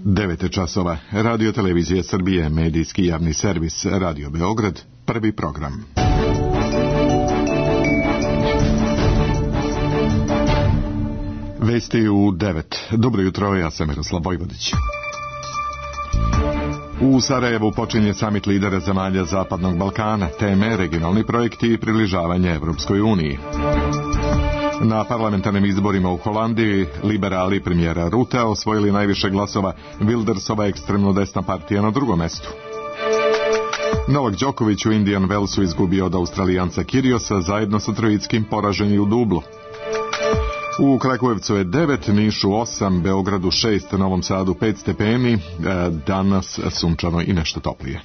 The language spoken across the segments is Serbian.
9 časova. Radio Televizije Srbije, medijski javni servis, Radio Beograd, prvi program. Vesti u 9. Dobro jutro, ja sam Miroslav Vojvodić. U Sarajevu počinje samit lidera zemalja Zapadnog Balkana, teme regionalni projekti i približavanje Evropskoj uniji. Na parlamentarnim izborima u Holandiji liberali premijera Rutea osvojili najviše glasova, Wildersova ekstremno desna partija na drugom mestu. Novak Đoković u Indian Wellsu izgubio od Australijanca Kyrgiosa, zajedno sa Trojickim poražen je u dublu. U Kragujevcu je 9, Nišu 8, Beogradu 6, Novom Sadu 5 stepeni, danas sunčano i nešto toplije.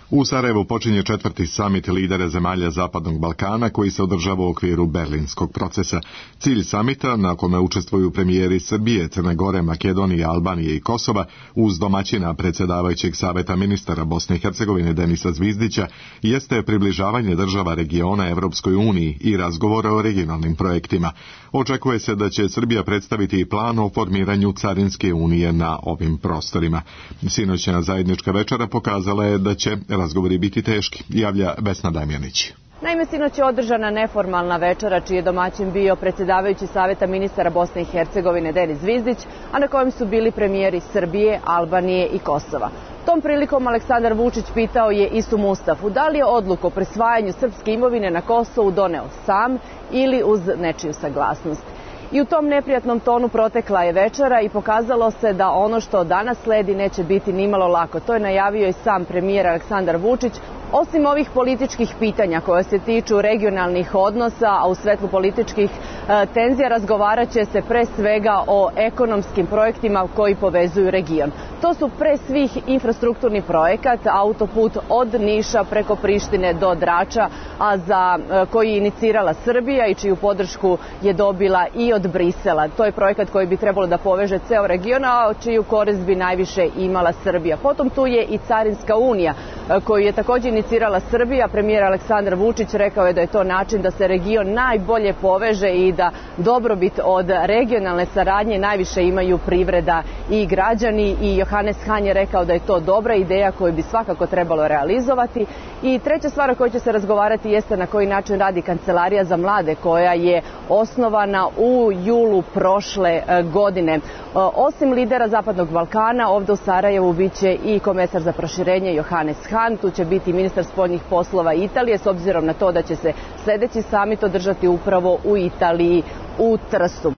U Sarajevu počinje 4. samit lidera zemalja Zapadnog Balkana koji se održava u okviru Berlinskog procesa. Cilj samita, na kome učestvuju premijeri Srbije, Crne Gore, Makedonije, Albanije i Kosova, uz domaćina predsjedavajućeg saveta ministara Bosne i Hercegovine Denisa Zvizdića, jeste približavanje država regiona Evropskoj uniji i razgovora o regionalnim projektima. Očekuje se da će Srbija predstaviti plan o formiranju Carinske unije na ovim prostorima. Sinoćna zajednička večera pokazala je da će razgovori biti teški, javlja Vesna Damjanić. Naime, sinoć je održana neformalna večera čiji je domaćin bio predsjedavajući saveta ministara Bosne i Hercegovine Denis Zvizdić, a na kojem su bili premijeri Srbije, Albanije i Kosova. Tom prilikom Aleksandar Vučić pitao je Isu Mustafu da li je odluku o prisvajanju srpske imovine na Kosovu doneo sam ili uz nečiju saglasnost. I u tom neprijatnom tonu protekla je večera i pokazalo se da ono što danas sledi neće biti nimalo lako. To je najavio i sam premijer Aleksandar Vučić. Osim ovih političkih pitanja koje se tiču regionalnih odnosa, a u svetlu političkih tenzija razgovarat će se pre svega o ekonomskim projektima koji povezuju region. To su pre svih infrastrukturni projekat, autoput od Niša preko Prištine do Drača, a za koji je inicirala Srbija i čiju podršku je dobila i od Brisela. To je projekat koji bi trebalo da poveže ceo region, a čiju korist bi najviše imala Srbija. Potom tu je i Carinska unija koju je također inicirala Srbija. Premijer Aleksandar Vučić rekao je da je to način da se region najbolje poveže i da dobrobit od regionalne saradnje najviše imaju privreda i građani. I Johannes Hahn je rekao da je to dobra ideja koju bi svakako trebalo realizovati. I treća stvar o kojoj će se razgovarati jeste na koji način radi Kancelarija za mlade koja je osnovana u julu prošle godine. Osim lidera Zapadnog Balkana, ovdje u Sarajevu biće i komesar za proširenje Johannes Hahn, tu će biti ministar spoljnih poslova Italije, s obzirom na to da će se sljedeći samit održati upravo u Italiji, u Trstu.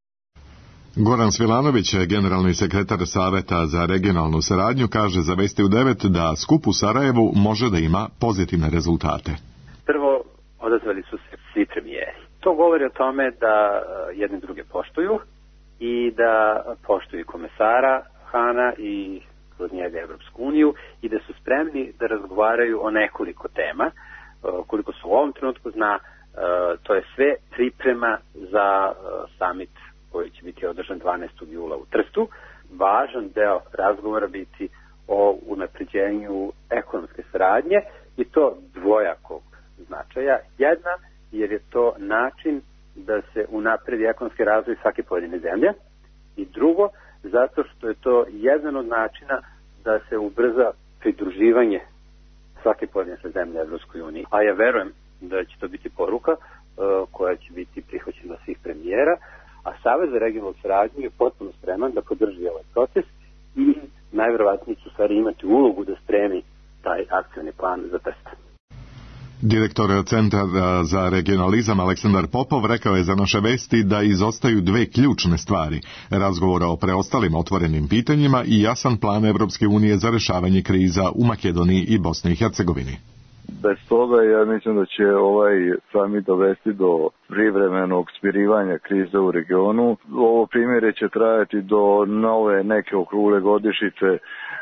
Goran Svilanović, generalni sekretar Saveta za regionalnu saradnju, kaže za Vesti u 9 da skup u Sarajevu može da ima pozitivne rezultate. Prvo, odazvali su se svi premijeri. To govori o tome da jedni druge poštuju i da poštuju komesara Hana i kroz njega Evropsku uniju i da su spremni da razgovaraju o nekoliko tema. Koliko se u ovom trenutku zna, to je sve priprema za samit koji će biti održan 12. jula u Trstu. Važan deo razgovora biti o unapređenju ekonomske saradnje i to dvojakog značaja. Jedna, jer je to način da se unapredi ekonomski razvoj svake pojedine zemlje, i drugo, zato što je to jedan od načina da se ubrza pridruživanje svake pojedine zemlje Evropskoj uniji. A ja verujem da će to biti poruka koja će biti prihvaćena svih premijera, a Savez za regionalnu saradnju je potpuno spreman da podrži ovaj proces i najverovatnije će u stvari imati ulogu da spremi taj akcioni plan za Trst. Direktor Centra za regionalizam Aleksandar Popov rekao je za naše Vesti da izostaju dve ključne stvari: razgovora o preostalim otvorenim pitanjima i jasan plan Evropske unije za rješavanje kriza u Makedoniji i Bosni i Hercegovini. Bez toga ja mislim da će ovaj samit dovesti do privremenog smirivanja krize u regionu. Ovo primjere će trajati do nove neke okrugle godišnjice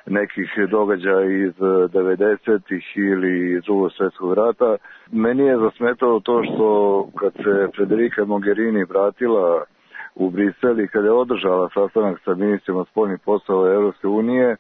nekih događaja iz 90-ih ili iz Drugog svjetskog rata. Meni je zasmetalo to što kad se Federica Mogherini vratila u Briselu kada je održala sastanak sa ministrima spoljnih poslova Europske unije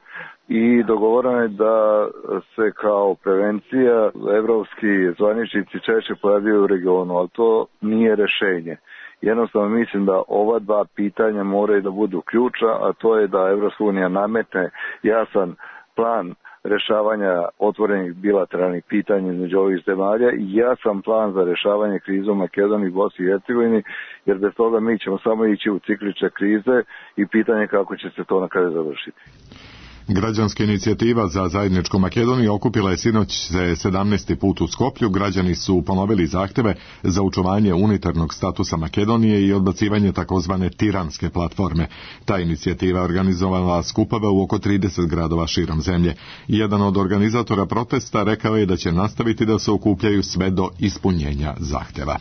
i dogovoreno je da se kao prevencija evropski zvaničnici češće pojavljaju u regionu, ali to nije rešenje. Jednostavno mislim da ova dva pitanja moraju da budu ključa, a to je da Evropska unija nametne jasan plan rešavanja otvorenih bilateralnih pitanja između ovih zemalja i jasan plan za rešavanje krize u Makedoniji i Bosni i Hercegovini, jer bez toga mi ćemo samo ići u ciklične krize i pitanje kako će se to na kraju završiti. Građanska inicijativa za zajedničku Makedoniju okupila je sinoć 17. put u Skoplju. Građani su ponovili zahteve za očuvanje unitarnog statusa Makedonije i odbacivanje takozvane tiranske platforme. Ta inicijativa organizovala skupove u oko 30 gradova širom zemlje. Jedan od organizatora protesta rekao je da će nastaviti da se okupljaju sve do ispunjenja zahteva.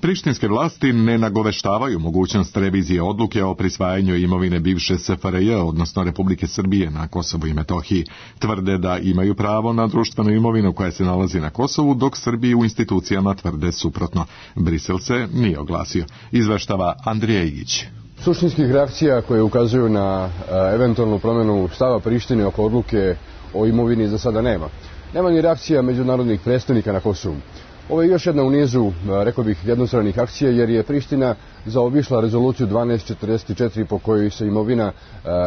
Prištinske vlasti ne nagoveštavaju mogućnost revizije odluke o prisvajanju imovine bivše SFRJ, odnosno Republike Srbije na Kosovu i Metohiji. Tvrde da imaju pravo na društvenu imovinu koja se nalazi na Kosovu, dok Srbiji u institucijama tvrde suprotno. Brisel se nije oglasio. Izveštava Andrija Igić. Suštinskih reakcija koje ukazuju na eventualnu promjenu stava Prištine oko odluke o imovini za sada nema. Nema ni reakcija međunarodnih predstavnika na Kosovu. Ovo je još jedna u nizu, rekao bih, jednostranih akcija, jer je Priština zaobišla rezoluciju 1244 po kojoj se imovina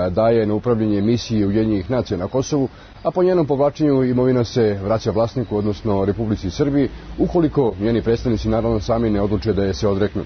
daje na upravljanje misiji Ujedinjenih nacija na Kosovu, a po njenom povlačenju imovina se vraća vlasniku, odnosno Republici Srbiji, ukoliko njeni predstavnici naravno sami ne odluče da je se odreknu.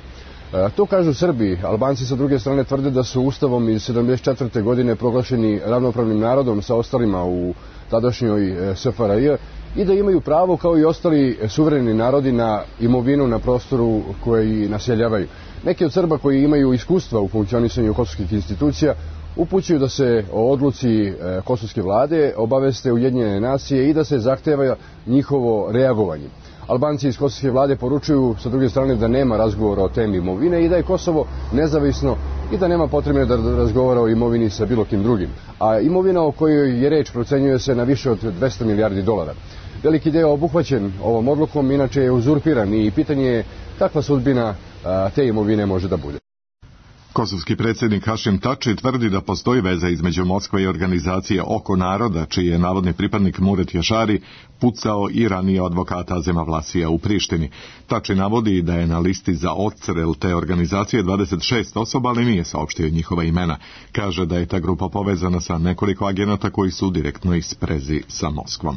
To kažu Srbi. Albanci sa druge strane tvrde da su ustavom iz 1974. godine proglašeni ravnopravnim narodom sa ostalima u tadašnjoj SFRJ i da imaju pravo kao i ostali suvereni narodi na imovinu na prostoru koji naseljavaju. Neki od Srba koji imaju iskustva u funkcionisanju kosovskih institucija upućuju da se o odluci kosovske vlade obaveste Ujedinjene nacije i da se zahteva njihovo reagovanje. Albanci iz kosovske vlade poručuju sa druge strane da nema razgovora o temi imovine i da je Kosovo nezavisno i da nema potrebe da razgovara o imovini sa bilo kim drugim. A imovina o kojoj je reč procenjuje se na više od 200 milijardi dolara. Veliki deo obuhvaćen ovom odlukom inače je uzurpiran i pitanje je kakva sudbina te imovine može da bude. Kosovski predsjednik Hašim Tači tvrdi da postoji veza između Moskve i organizacije Oko naroda, čiji je navodni pripadnik Muret Jašari pucao i ranije advokata Azema Vlasija u Prištini. Tači navodi da je na listi za odstrel te organizacije 26 osoba, ali nije saopštio njihova imena. Kaže da je ta grupa povezana sa nekoliko agenata koji su u direktnoj sprezi sa Moskvom.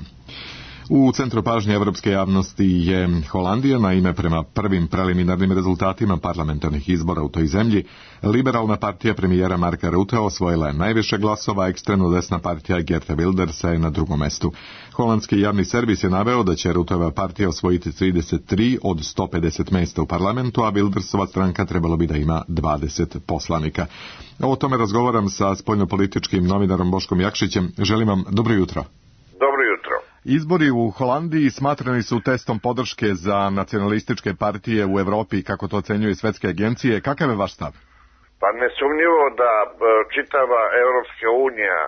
U centru pažnje evropske javnosti je Holandija. Naime, prema prvim preliminarnim rezultatima parlamentarnih izbora u toj zemlji, liberalna partija premijera Marka Rutte osvojila je najviše glasova, ekstremno desna partija Geerta Wildersa je na drugom mestu. Holandski javni servis je naveo da će Rutteva partija osvojiti 33 od 150 mesta u parlamentu, a Wildersova stranka trebalo bi da ima 20 poslanika. O tome razgovaram sa spoljnopolitičkim novinarom Boškom Jakšićem. Želim vam dobro jutro. Dobro jutro. Izbori u Holandiji smatrani su testom podrške za nacionalističke partije u Evropi, kako to ocenjuju svetske agencije. Kakav je vaš stav? Pa nesumnjivo da čitava Evropska unija,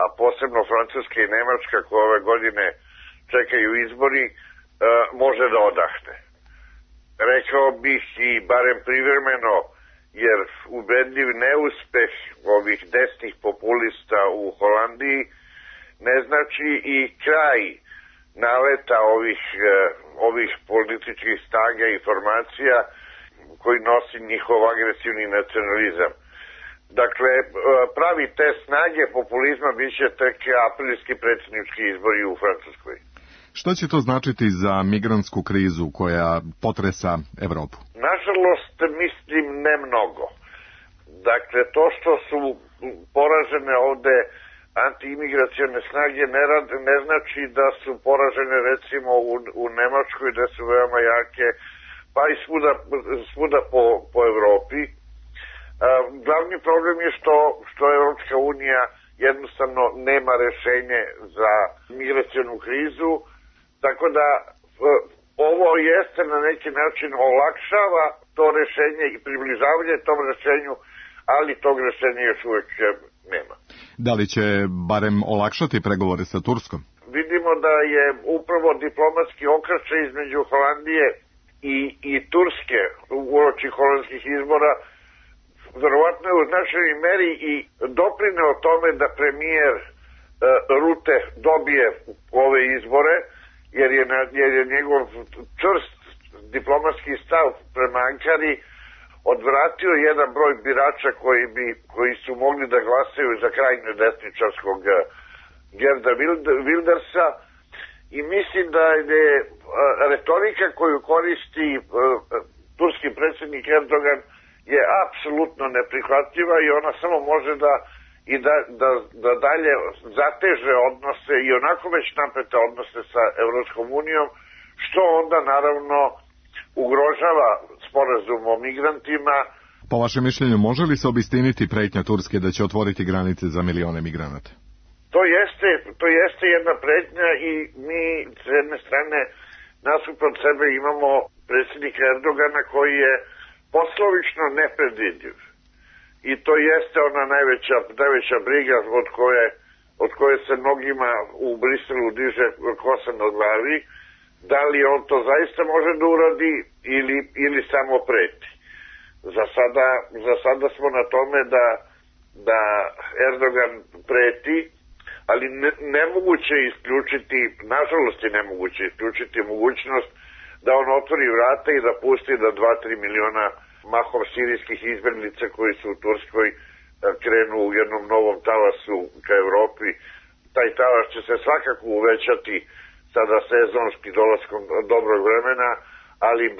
a posebno Francuska i Nemačka, koje ove godine čekaju izbori, može da odahne. Rekao bih i barem privremeno, jer ubedljiv neuspeh ovih desnih populista u Holandiji ne znači i kraj naleta ovih političkih snaga i formacija koji nosi njihov agresivni nacionalizam. Dakle, pravi test snage populizma biće tek aprilski predsjednički izbori u Francuskoj. Što će to značiti za migrantsku krizu koja potresa Evropu? Nažalost, mislim ne mnogo. Dakle, to što su poražene ovde antiimigracione snage ne znači da su poražene recimo u Nemačkoj gde su veoma jake, pa i svuda po Evropi. Glavni problem je što Evropska unija jednostavno nema rešenje za migracionu krizu, tako da ovo jeste na neki način olakšava to rešenje i približavanje tom rešenju, ali tog rešenja još uvek nema. Da li će barem olakšati pregovore sa Turskom? Vidimo da je upravo diplomatski okršaj između Holandije i Turske uoči holandskih izbora određenoj meri i doprineo tome da premijer Rute dobije ove izbore, jer je njegov čvrst diplomatski stav prema Ankari odvratio jedan broj birača koji su mogli da glasaju za krajnje desničarskog Gerda Wildersa, i mislim da je retorika koju koristi turski predsjednik Erdogan je apsolutno neprihvatljiva i ona samo može da dalje zateže odnose i onako već napete odnose sa Evropskom unijom, što onda naravno ugrožava sporazum o migrantima. Po vašem mišljenju, može li se obistiniti pretnja Turske da će otvoriti granice za milione migranata? To jeste jedna pretnja i mi s jedne strane nasuprot sebe imamo predsjednika Erdogana koji je poslovično nepredvidljiv. I to jeste ona najveća briga od koje se mnogima u Briselu diže kosa na glavi. Da li on to zaista može da uradi ili samo preti. Za sada smo na tome da Erdogan preti, ali nemoguće je isključiti, nažalost je nemoguće isključiti mogućnost da on otvori vrata i da pusti da 2-3 miliona mahom sirijskih izbjeglica koji su u Turskoj krenu u jednom novom talasu ka Evropi. Taj talas će se svakako uvećati sada sezonski dolaskom dobrog vremena, ali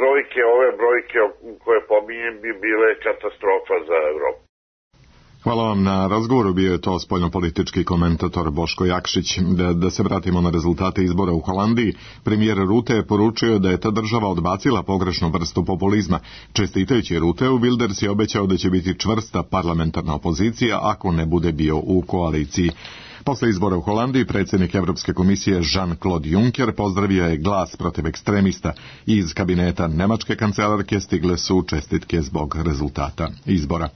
ove brojke koje pominjem bi bile katastrofa za Evropu. Hvala vam na razgovoru, bio je to spoljnopolitički komentator Boško Jakšić. Da se vratimo na rezultate izbora u Holandiji, premijer Rute je poručio da je ta država odbacila pogrešnu vrstu populizma. Čestitajući Ruteu, Wilders je obećao da će biti čvrsta parlamentarna opozicija ako ne bude bio u koaliciji. Posle izbora u Holandiji, predsjednik Evropske komisije Jean-Claude Juncker pozdravio je Glas protiv ekstremista. Iz kabineta nemačke kancelarke stigle su čestitke zbog rezultata izbora.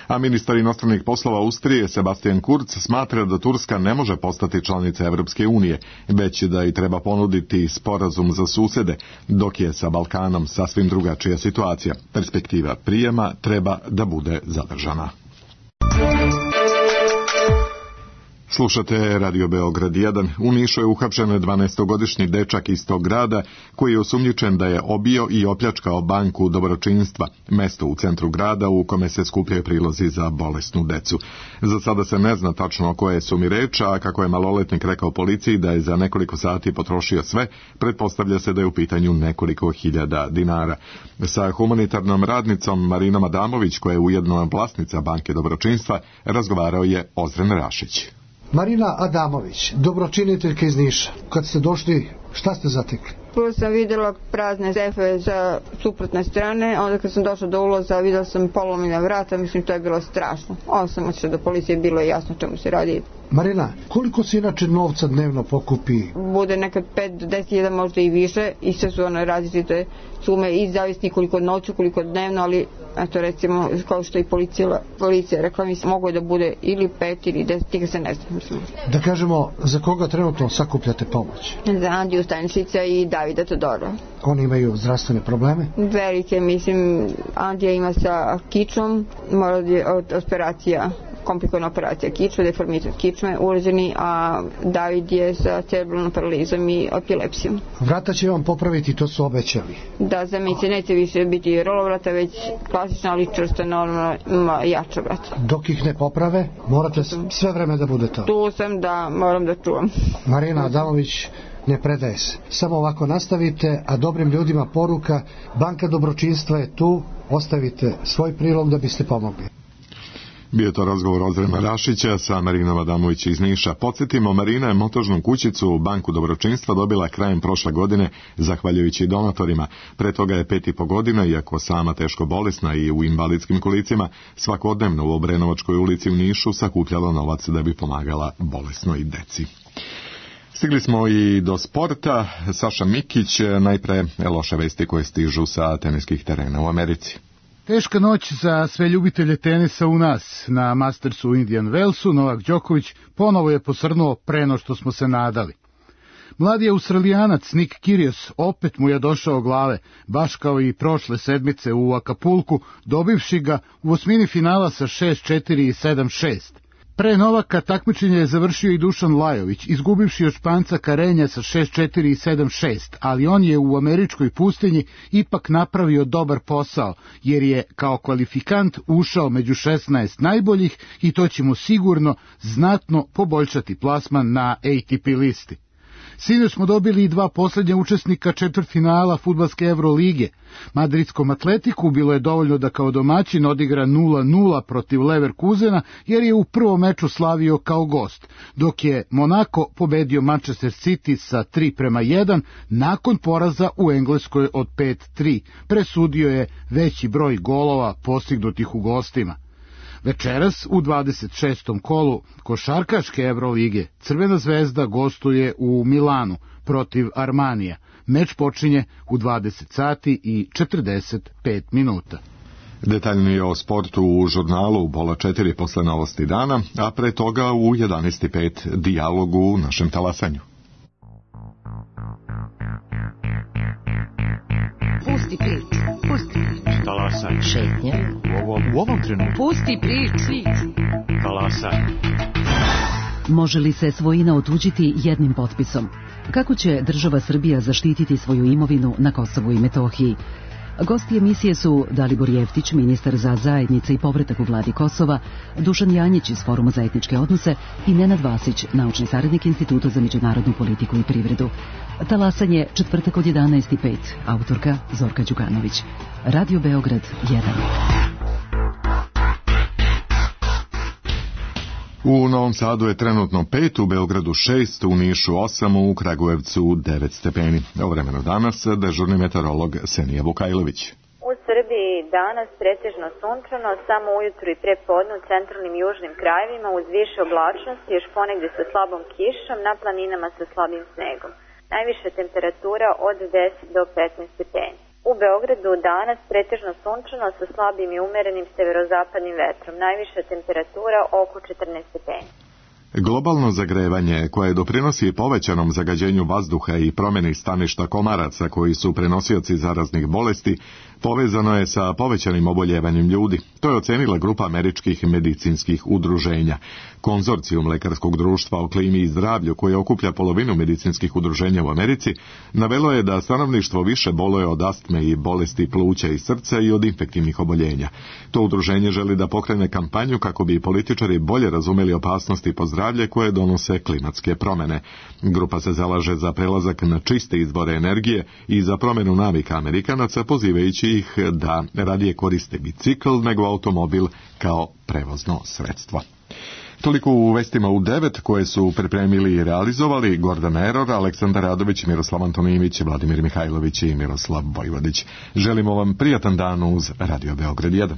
A ministar inostranih poslova Austrije Sebastian Kurz smatra da Turska ne može postati članica Evropske unije, već da i treba ponuditi sporazum za susede, dok je sa Balkanom sasvim drugačija situacija. Perspektiva prijema treba da bude zadržana. Slušate Radio Beograd 1. U Nišu je uhapšen 12-godišnji dečak iz tog grada koji je osumnjičen da je obio i opljačkao banku dobročinstva, mesto u centru grada u kome se skupljaju prilozi za bolesnu decu. Za sada se ne zna tačno o koje sumi reč, a kako je maloletnik rekao policiji da je za nekoliko sati potrošio sve, pretpostavlja se da je u pitanju nekoliko hiljada dinara. Sa humanitarnom radnicom Marinom Adamović, koja je ujedno vlasnica banke dobročinstva, razgovarao je Ozren Rašić. Marina Adamović, dobročiniteljka iz Niša. Kad ste došli, šta ste zatekli? Prvo sam vidjela prazne sefe za suprotne strane, onda kad sam došla do ulaza vidjela sam polomljena vrata, mislim to je bilo strašno. Ovo sam otišla do policije, bilo je jasno čemu se radi. Marina, koliko se inače novca dnevno pokupi? Bude nekad 5 do 10.000, možda i više, i sve su one različite sume i zavisni koliko noću, koliko dnevno, ali eto recimo kao što i policija rekla, mislim mogu da bude ili 5 ili 10, tika se ne znam. Mislim. Da kažemo, za koga trenutno sakupljate pomoć? Za Andiju Stančića i Davida Todora. Oni imaju zdravstvene probleme? Velike, mislim, Andija ima sa kičom, mora od operacija, komplikovana operacija kičme, deformitet kičme urađeni, a David je sa cerebralnom paralizom i epilepsijom. Vrata će vam popraviti, to su obećali. Da, za mi će neće više biti rolovrata, već klasična, ali čvrsta, normalna, jača vrata. Dok ih ne poprave, morate sve vreme da budete. Tu sam, da, moram da čuvam. Marina Adamović ne predaje se. Samo ovako nastavite, a dobrim ljudima poruka, banka dobročinstva je tu, ostavite svoj prilog da biste pomogli. Bio to razgovor Ozrena Rašića sa Marinom Adamović iz Niša. Podsjetimo, Marina je montažnu kućicu u banku dobročinstva dobila krajem prošle godine zahvaljujući donatorima. Pre toga je 5,5 godina, iako sama teško bolesna i u invalidskim kolicima, svakodnevno u Obrenovačkoj ulici u Nišu sakupljala novac da bi pomagala bolesnoj deci. Stigli smo i do sporta. Saša Mikić, najpre loše vesti koje stižu sa teniskih terena u Americi. Teška noć za sve ljubitelje tenisa u nas. Na Mastersu u Indian Wellsu Novak Đoković ponovo je posrnuo pre no što smo se nadali. Mladi Australijanac Nick Kyrgios opet mu je došao glave, baš kao i prošle sedmice u Acapulcu, dobivši ga u osmini finala sa 6-4 i 7-6. Pre Novaka takmičenje je završio i Dušan Lajović, izgubivši od Španca Karenja sa 6-4 i 7-6, ali on je u američkoj pustinji ipak napravio dobar posao, jer je kao kvalifikant ušao među 16 najboljih i to će mu sigurno znatno poboljšati plasman na ATP listi. Sinoć smo dobili i dva posljednja učesnika četvrtfinala fudbalske Evrolige. Madridskom Atletiku bilo je dovoljno da kao domaćin odigra 0-0 protiv Leverkusena, jer je u prvom meču slavio kao gost, dok je Monako pobedio Manchester City sa 3-1 nakon poraza u Engleskoj od 5-3. Presudio je veći broj golova postignutih u gostima. Večeras u 26. kolu košarkaške Evrolige Crvena zvezda gostuje u Milanu protiv Armanija. Meč počinje u 20 sati i 45 minuta. Detaljnije o sportu u žurnalu Bola 4 posle novosti dana, a pre toga u 11.05 dijalogu u našem talasanju. Pusti priču, pusti priču. Talasaj. Šetnje. U ovom trenutku. Pusti priču. Talasaj. Može li se svojina otuđiti jednim potpisom? Kako će država Srbija zaštititi svoju imovinu na Kosovu i Metohiji? Gosti emisije su Dalibor Jeftić, ministar za zajednice i povratak u vladi Kosova, Dušan Janjić iz Foruma za etničke odnose i Nenad Vasić, naučni saradnik Instituta za međunarodnu politiku i privredu. Talasanje četvrtak od 11.05, autorka Zorka Đukanović. Radio Beograd 1. U Novom Sadu je trenutno 5, u Beogradu 6, u Nišu 8, u Kragujevcu 9 stepeni. O vremenu danas dežurni meteorolog Senija Vukajlović. U Srbiji danas pretežno sunčano, samo ujutru i prepodne u centralnim i južnim krajevima uz više oblačnosti, još ponegde sa slabom kišom, na planinama sa slabim snegom. Najviša temperatura od 10 do 15 stepeni. U Beogradu danas pretežno sunčano sa slabim i umerenim severozapadnim vetrom. Najviša temperatura oko 14 stepeni. Globalno zagrevanje, koje doprinosi povećanom zagađenju vazduha i promjeni staništa komaraca koji su prenosioci zaraznih bolesti, povezano je sa povećanim oboljevanjem ljudi. To je ocenila grupa američkih medicinskih udruženja. Konzorcijum Lekarskog društva o klimi i zdravlju, koje okuplja polovinu medicinskih udruženja u Americi, navelo je da stanovništvo više boluje od astme i bolesti pluća i srca i od infektivnih oboljenja. To udruženje želi da pokrene kampanju kako bi političari bolje razumeli opasnosti po zdravlje koje donose klimatske promjene. Grupa se zalaže za prelazak na čiste izvore energije i za promjenu navika Amerikanaca, pozivajući ih da radije koriste bicikl nego automobil kao prevozno sredstvo. Toliko u vestima u 9 koje su pripremili i realizovali Gordan Eror, Aleksandar Radović, Miroslav Antonimić, Vladimir Mihajlović i Miroslav Vojvodić. Želimo vam prijatan dan uz Radio Beograd 1.